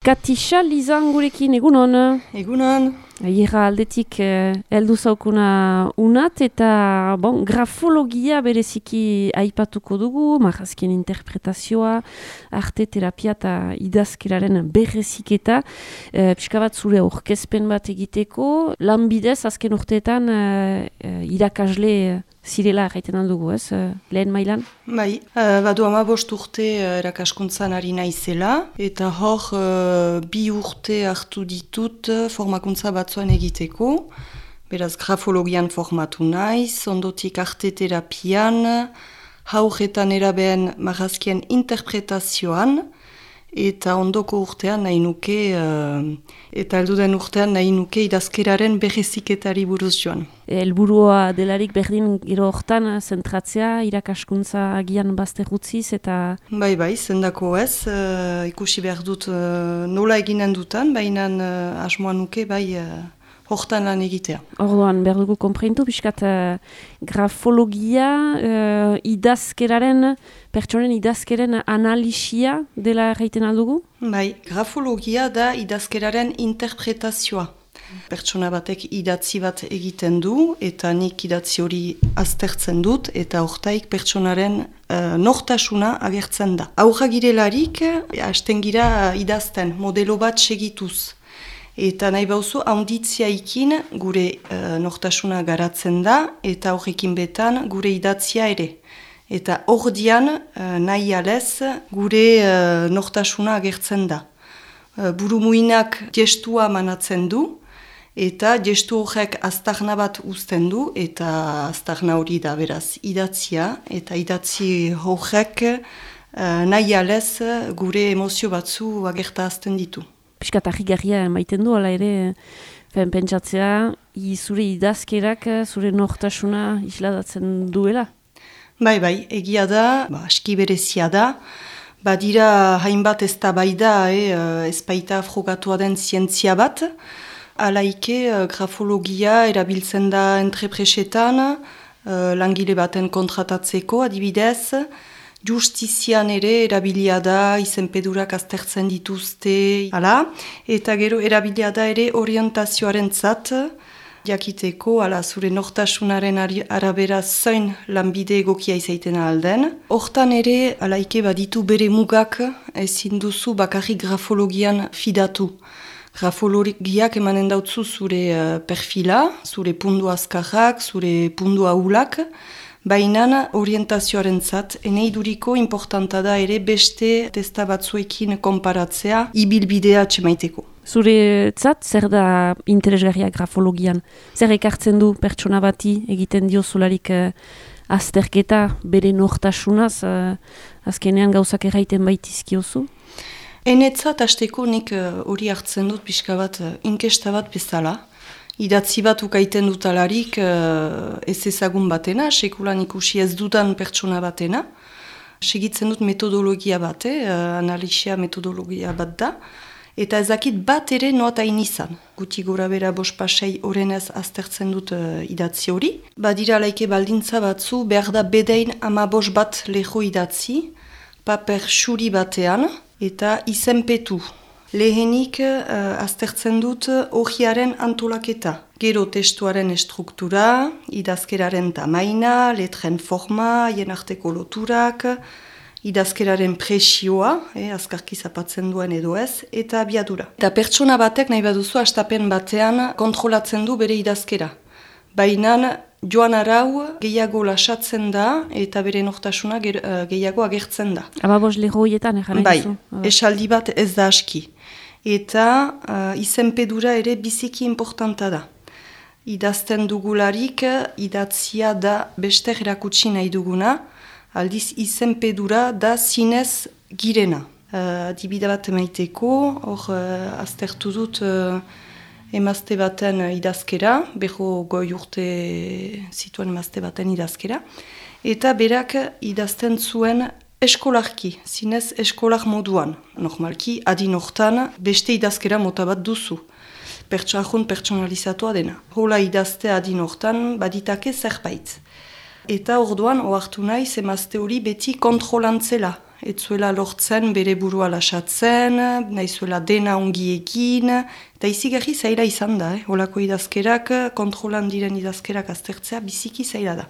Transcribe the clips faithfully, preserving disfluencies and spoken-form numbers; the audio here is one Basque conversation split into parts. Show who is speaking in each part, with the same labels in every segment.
Speaker 1: Katisa Lizan gurekin, egunon?
Speaker 2: Egunon.
Speaker 1: Ierra aldetik eh, heldu zaukuna unat eta bon, grafologia bereziki aipatuko dugu, marrazkien interpretazioa, arte terapia eta idazkeraren berreziketa. Eh, Pixka bat zure aurkezpen bat egiteko, lanbidez azken urteetan eh, irakasle zirela erraiten aldugu, ez? Eh, lehen mailan?
Speaker 2: Bai, uh, badu amabost urte uh, erakaskuntzan ari naizela, eta hor uh, bi urte hartu ditut uh, formakuntza batzuan egiteko. Beraz, grafologian formatu naiz, ondotik arte terapian, haurretan erabeen marrazkien interpretazioan, eta ondoko urtean nahi nuke, uh, eta helduden urtean nahi nuke idazkeraren berreziketari buruz joan.
Speaker 1: Helburua delarik berdin gero hortan zentratzea, irakaskuntza agian bazter utziz eta...
Speaker 2: Bai, bai, zendako ez, uh, ikusi behar dut uh, nola eginen dutan, baina uh, asmoa nuke bai uh, hortan lan egitea.
Speaker 1: Orduan, behar dugu konpreintu, biskat uh, grafologia, uh, idazkeraren, pertsonen idazkeren analisia dela erraiten aldugu?
Speaker 2: Bai, grafologia da idazkeraren interpretazioa. Pertsona batek idatzi bat egiten du, eta nik idatzi hori aztertzen dut, eta hortaik pertsonaren uh, nortasuna agertzen da. Aurra girelarik, hasten gira idazten, modelo bat segituz. Eta nahi bauzu, haunditziaikin gure uh, nortasuna garatzen da, eta horrekin betan gure idatzia ere. Eta ordian uh, nahi alez gure uh, nortasuna agertzen da. Uh, burumuinak gestua manatzen du, eta gestu horrek aztarna bat uzten du, eta aztarna hori da beraz idatzia, eta idatzi horrek uh, nahi alez gure emozio batzu agertazten ditu.
Speaker 1: Piskat harrigarria maiten du, ala ere, fen pentsatzea, i zure idazkerak, zure nortasuna isladatzen duela?
Speaker 2: Bai, bai, egia da, ba, aski berezia da, badira hainbat ez da bai da, eh, ez baita frogatua den zientzia bat, alaike grafologia erabiltzen da entrepresetan, uh, langile baten kontratatzeko adibidez, justizian ere erabilia da, izenpedurak aztertzen dituzte, ala, eta gero erabilia da ere orientazioaren zat, jakiteko, ala, zure nortasunaren arabera zain lanbide egokia izaiten alden. Hortan ere, alaike baditu bere mugak, ezin duzu bakarrik grafologian fidatu. Grafologiak emanen dautzu zure uh, perfila, zure pundu azkarrak, zure pundu ahulak, baina orientazioaren zat, eneiduriko importanta da ere beste testa batzuekin konparatzea, ibilbidea txemaiteko.
Speaker 1: Zure zat, zer da interesgarria grafologian? Zer ekartzen du pertsona bati egiten dio zularik uh, azterketa bere nortasunaz, uh, azkenean gauzak erraiten baitizkiozu?
Speaker 2: Enetzat hasteko nik hori uh, hartzen dut pixka bat uh, inkesta bat bezala. Idatzi bat ukaiten dutalarik uh, ez ezagun batena, sekulan ikusi ez dudan pertsona batena. Segitzen dut metodologia bat, eh? uh, analisia metodologia bat da. Eta ezakit bat ere noatain izan. Guti gora bera bost pasei horrenez aztertzen dut uh, idatzi hori. Badira laike baldintza batzu, behar da bedein ama bost bat leho idatzi, paper xuri batean, eta izenpetu. Lehenik uh, aztertzen dut horiaren antolaketa. Gero testuaren estruktura, idazkeraren tamaina, letren forma, hien arteko loturak, idazkeraren presioa, eh, azkarki zapatzen duen edo ez, eta abiadura. Eta pertsona batek nahi baduzu hastapen batean kontrolatzen du bere idazkera. Baina joan arau gehiago lasatzen da eta bere nortasuna gehiago agertzen da.
Speaker 1: Ababos lehoietan egan
Speaker 2: bai, esaldi bat ez da aski. Eta uh, izenpedura ere biziki importanta da. Idazten dugularik idatzia da beste erakutsi nahi duguna, aldiz izenpedura da zinez girena. Uh, Adibide bat emaiteko, hor uh, aztertu dut uh, emazte baten idazkera, beho goi urte zituen emazte baten idazkera, eta berak idazten zuen eskolarki, zinez eskolar moduan. Normalki, adin hortan beste idazkera mota bat duzu. Pertsahun pertsonalizatua dena. Hola idazte adin hortan baditake zerbait. Eta orduan, ohartu nahi, emazte hori beti kontrolantzela ez zuela lortzen bere burua lasatzen, nahi zuela dena ongi egin, eta izigarri zaila izan da, eh? Olako idazkerak, kontrolan diren idazkerak aztertzea, biziki zaila da.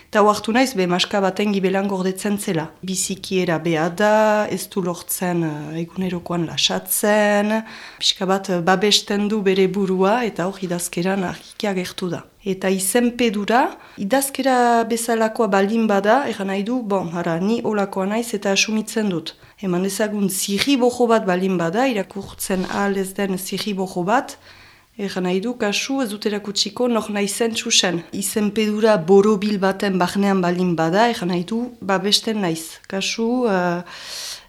Speaker 2: Eta hoartu naiz, be, maska baten gibelan gordetzen zela. Bizikiera beha da, ez du lortzen uh, egunerokoan lasatzen, pixka bat uh, babesten du bere burua, eta hor idazkeran argiki agertu da. Eta izenpedura, idazkera bezalakoa baldin bada, eran nahi du, bon, ara, ni olakoa naiz eta asumitzen dut. Eman ezagun zirri bojo bat baldin bada, irakurtzen ahal ez den zirri bojo bat, eran nahi du, kasu ez dut erakutsiko nor naizen txusen. Izenpedura borobil baten barnean baldin bada, eran nahi du, babesten naiz. Kasu, uh,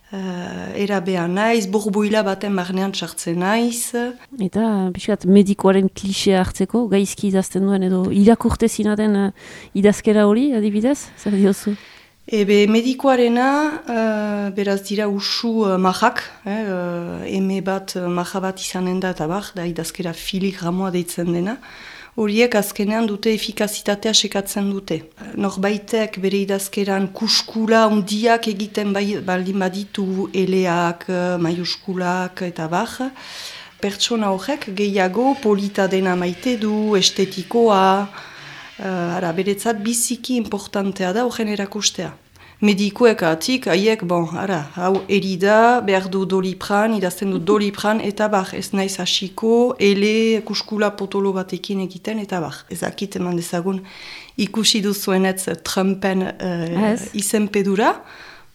Speaker 2: uh, erabea naiz, borboila baten barnean txartzen naiz.
Speaker 1: Eta, pixkat, medikoaren klisea hartzeko, gaizki idazten duen edo irakurte zinaten uh, idazkera hori, adibidez? Zer diozu?
Speaker 2: Ebe medikoarena, uh, beraz dira usu uh, majak, eh, uh, eme bat, uh, maja bat izanen da eta bar, da idazkera filigramoa deitzen dena, horiek azkenean dute efikazitatea sekatzen dute. Norbaitek bere idazkeran kuskula ondiak egiten bai, baldin baditu eleak, maiuskulak eta bar, pertsona horrek gehiago polita dena maite du, estetikoa, Uh, ara, beretzat biziki importantea da horren erakustea. Medikuek atik, haiek, bon, ara, hau erida, behar du dolipran, idazten du dolipran, eta bar, ez naiz hasiko, ele, kuskula potolo batekin egiten, eta bar. Ezakit eman dezagun ikusi duzuenetz Trumpen uh, izenpedura,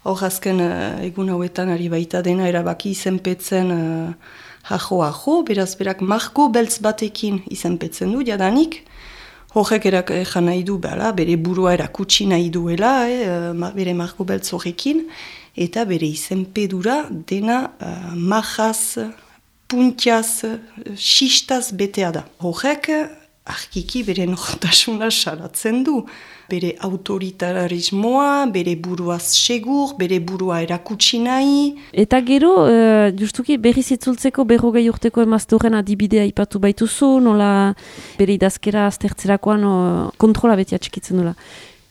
Speaker 2: hor azken uh, egun hauetan ari baita dena erabaki izenpetzen uh, jajo-ajo, beraz berak marko beltz batekin izenpetzen du, jadanik, horrek erak ejan nahi du, bera, bere burua erakutsi nahi duela, eh, bere marko beltz horrekin, eta bere izenpedura dena uh, majaz, puntiaz, xistaz betea da. Horrek arkiki bere nortasuna salatzen du. Bere autoritarismoa, bere buruaz segur, bere burua erakutsi nahi.
Speaker 1: Eta gero, uh, justuki berriz itzultzeko berrogei urteko emaztoren adibidea ipatu baituzu, nola bere idazkera aztertzerakoan uh, kontrola beti atxikitzen duela.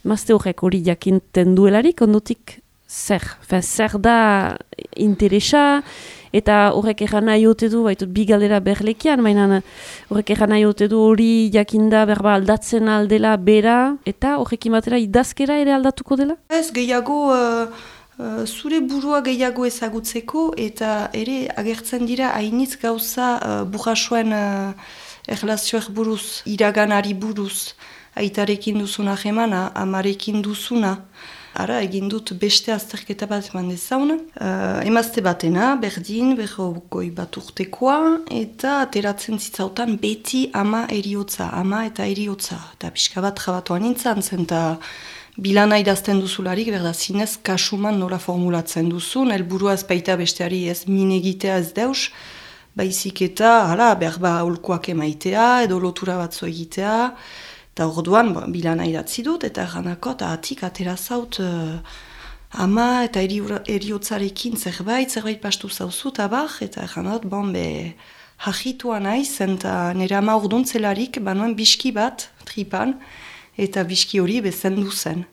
Speaker 1: Emazte horrek hori jakinten duelarik, ondotik zer? Fe, zer da interesa, eta horrek erran nahi ote du, baitut bi galdera berlekian, baina horrek erran nahi ote du hori jakinda berba aldatzen aldela bera, eta horrekin batera idazkera ere aldatuko dela?
Speaker 2: Ez, gehiago, uh, uh, zure burua gehiago ezagutzeko, eta ere agertzen dira hainitz gauza uh, burrasoen uh, erlazioak buruz, iraganari buruz, aitarekin duzuna jemana, amarekin duzuna. Ara, egin dut beste azterketa bat eman dezaun. Uh, emazte batena, berdin, berrogoi bat urtekoa, eta ateratzen zitzautan beti ama eriotza, ama eta eriotza. Eta pixka bat jabatuan nintzen zen, eta bilana idazten duzularik, berda zinez, kasuman nola formulatzen duzun, helburua ez baita besteari ez minegitea ez deus, baizik eta, hala, berba holkoak emaitea, edo lotura batzu egitea, eta orduan, bo, bilana idatzi dut, eta erranako, eta atik atera zaut uh, ama eta eriotzarekin zerbait, zerbait pastu zauzu, eta bar, eta erranot, bon, be, jajitua naiz, eta nire ama orduntzelarik, banuen biski bat, tripan, eta biski hori bezendu zen.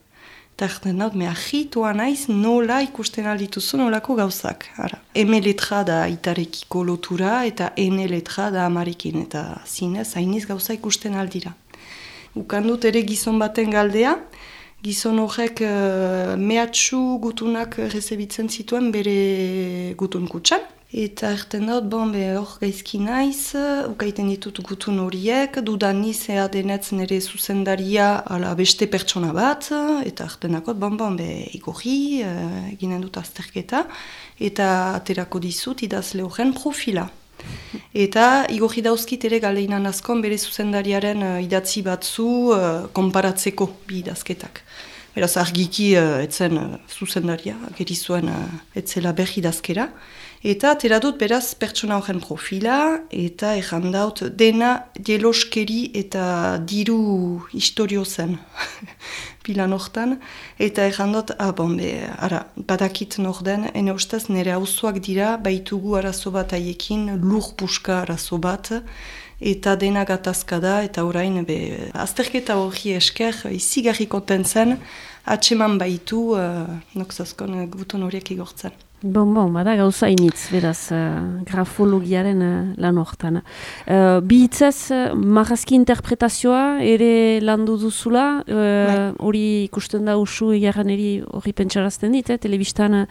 Speaker 2: Eta erranot, me jajitua naiz, nola ikusten aldituzu nolako gauzak. Ara. Eme letra da itarekiko lotura, eta ene letra da amarekin, eta zinez, hainiz gauza ikusten aldira. Ukandut ere gizon baten galdea, gizon horrek uh, mehatxu gutunak rezebitzen zituen bere gutun kutsan. Eta erten dut, bon, be hor gaizki naiz, ukaiten ditut gutun horiek, dudaniz ea denetz nire zuzendaria ala beste pertsona bat, eta erten dakot, bon, bon, be igorri, uh, eginen dut azterketa, eta aterako dizut idazle horren profila. Eta igorri dauzkit ere galeinan askon bere zuzendariaren uh, idatzi batzu uh, konparatzeko bi idazketak. Beraz argiki uh, etzen uh, zuzendaria, gerizuen uh, etzela berri idazkera. Eta atera dut beraz pertsona horren profila, eta errandaut dena jeloskeri eta diru historio zen pilan hortan. Eta errandot, ah bon, be, ara, badakit nor den, ene ustez nire auzoak dira, baitugu arazo bat haiekin, lur puska arazo bat, eta dena gatazka da, eta orain, be, azterketa hori esker, izigarri konten zen, atseman baitu, uh, nokzazkon guton horiek igortzen.
Speaker 1: Bon, bon, bada gauza initz, beraz, uh, grafologiaren uh, lan hortan. Uh, bi hitzez, uh, marrazki interpretazioa ere landu duzula, hori uh, ikusten da usu egarran eri hori pentsarazten dit, eh? Telebistan uh,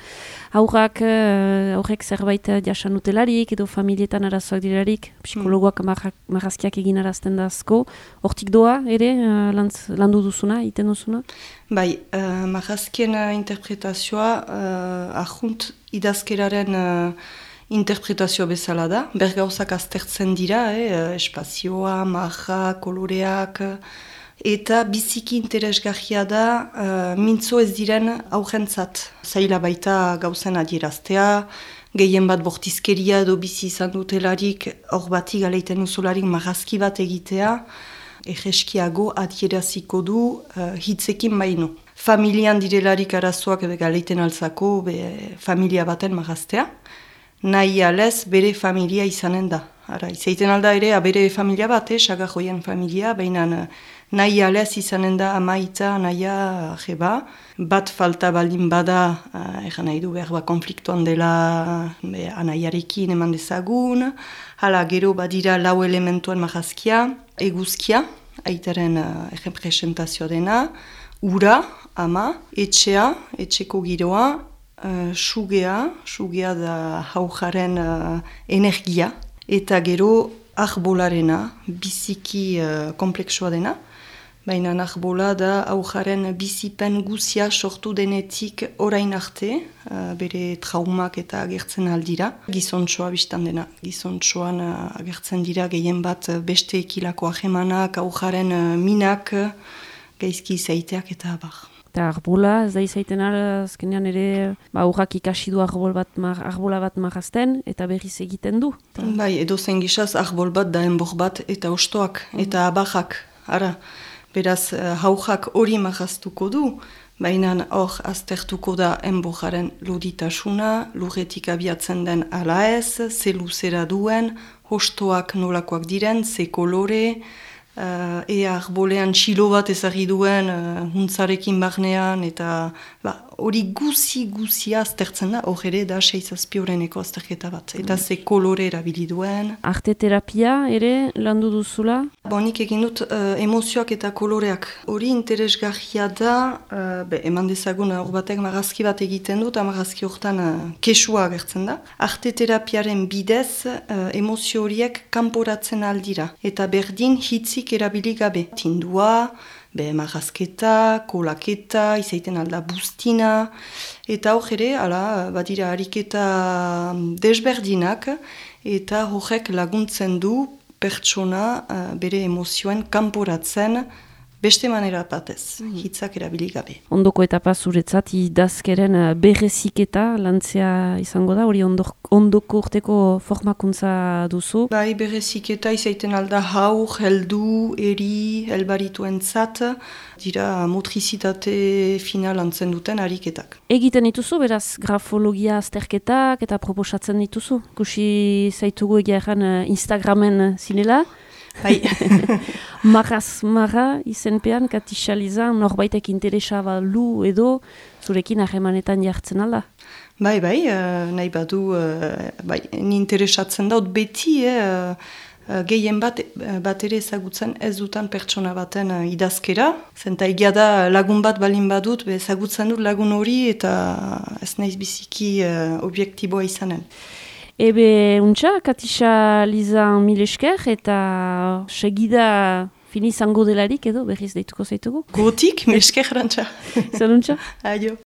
Speaker 1: aurrak, uh, aurrek zerbait uh, jasan utelarik, edo familietan arazoak dirarik, psikologoak mm. marrazkiak egin arazten da asko, hortik doa ere uh, lantz, landu duzuna, iten duzuna?
Speaker 2: Bai, uh, marrazkien uh, interpretazioa uh, ahunt idazkeraren uh, interpretazio bezala da. Bergauzak aztertzen dira, eh, espazioa, marra, koloreak, eta biziki interesgarria da uh, mintzo ez diren aurrentzat. Zaila baita gauzen adieraztea, gehien bat bortizkeria edo bizi izan dutelarik, hor bati galeiten uzolarik marrazki bat egitea, egeskiago adieraziko du uh, hitzekin baino. Familian direlarik arazoak galeiten altzako be, familia baten marraztea, nahi alez bere familia izanen da. Ara, izaiten alda ere, bere familia bat, eh, sagajoien familia, baina nahi alez izanen da amaita, nahia, jeba. Bat falta baldin bada, uh, egan nahi du behar ba konfliktuan dela be, anaiarekin eman dezagun, hala gero badira lau elementuen marrazkia, eguzkia, aitaren uh, representazioa dena, ura, ama, etxea, etxeko giroa, uh, sugea, sugea da haujaren uh, energia, eta gero arbolarena, biziki uh, kompleksua dena, baina arbola da haujaren bizipen guzia sortu denetik orain arte, uh, bere traumak eta agertzen aldira. Gizontsoa biztan dena, gizontsoan uh, agertzen dira gehien bat beste ekilako ahemanak, haujaren uh, minak, gaizki izaiteak eta abar.
Speaker 1: Eta arbola, ez da izaiten azkenean ere, ba, urrak ikasi du arbol bat, mar, arbola bat marrazten, eta berriz egiten du. Ta...
Speaker 2: Bai, edo zen gizaz arbol bat da enbor bat, eta ostoak, mm. eta abarrak, ara. Beraz, haujak hori marraztuko du, baina hor aztertuko da enboraren loditasuna, lurretik abiatzen den ala ez, ze luzera duen, hostoak nolakoak diren, ze kolore, Uh, ea arbolean txilo bat ezagri duen uh, huntzarekin barnean, eta hori ba, guzi guzia aztertzen da, hor ere da seizazpi horreneko azterketa bat, eta ze kolore erabili duen.
Speaker 1: Arte terapia ere landu duzula?
Speaker 2: Bon, nik egin dut uh, emozioak eta koloreak. Hori interesgarria da, uh, be, eman dezagun hor batek marrazki bat egiten dut, marrazki horretan uh, kesua agertzen da. Arte terapiaren bidez uh, emozio horiek kanporatzen aldira, eta berdin hitzik erabili gabe. Tindua, be marrazketa, kolaketa, izaiten alda bustina, eta hor ere, ala, badira ariketa desberdinak, eta horrek laguntzen du pertsona uh, bere emozioen kanporatzen beste manera batez, mm. hitzak erabili gabe.
Speaker 1: Ondoko etapa zuretzat, idazkeren berreziketa lantzea izango da, hori ondok, ondoko urteko formakuntza duzu?
Speaker 2: Bai, berreziketa izaiten alda haur, heldu, eri, helbarituen zat, dira motrizitate final antzen duten ariketak.
Speaker 1: Egiten dituzu, beraz, grafologia azterketak eta proposatzen dituzu? Kusi zaitugu egeran Instagramen zinela?
Speaker 2: Bai.
Speaker 1: Marraz marra izenpean, katixalizan, norbaitek interesa balu edo zurekin ahemanetan jartzen alda?
Speaker 2: Bai, bai, uh, nahi badu, uh, bai, ni interesatzen daut beti, eh, uh, gehien bat, bat ere ezagutzen ez dutan pertsona baten uh, idazkera. Zenta egia da lagun bat balin badut, be ezagutzen dut lagun hori eta ez naiz biziki uh, objektiboa izanen.
Speaker 1: Ebe, untxa, Katixa Liza mil esker eta segida fini izango delarik edo berriz deituko zaitugu.
Speaker 2: Gotik, mil esker rantxa.
Speaker 1: Zer untxa?
Speaker 2: Aio.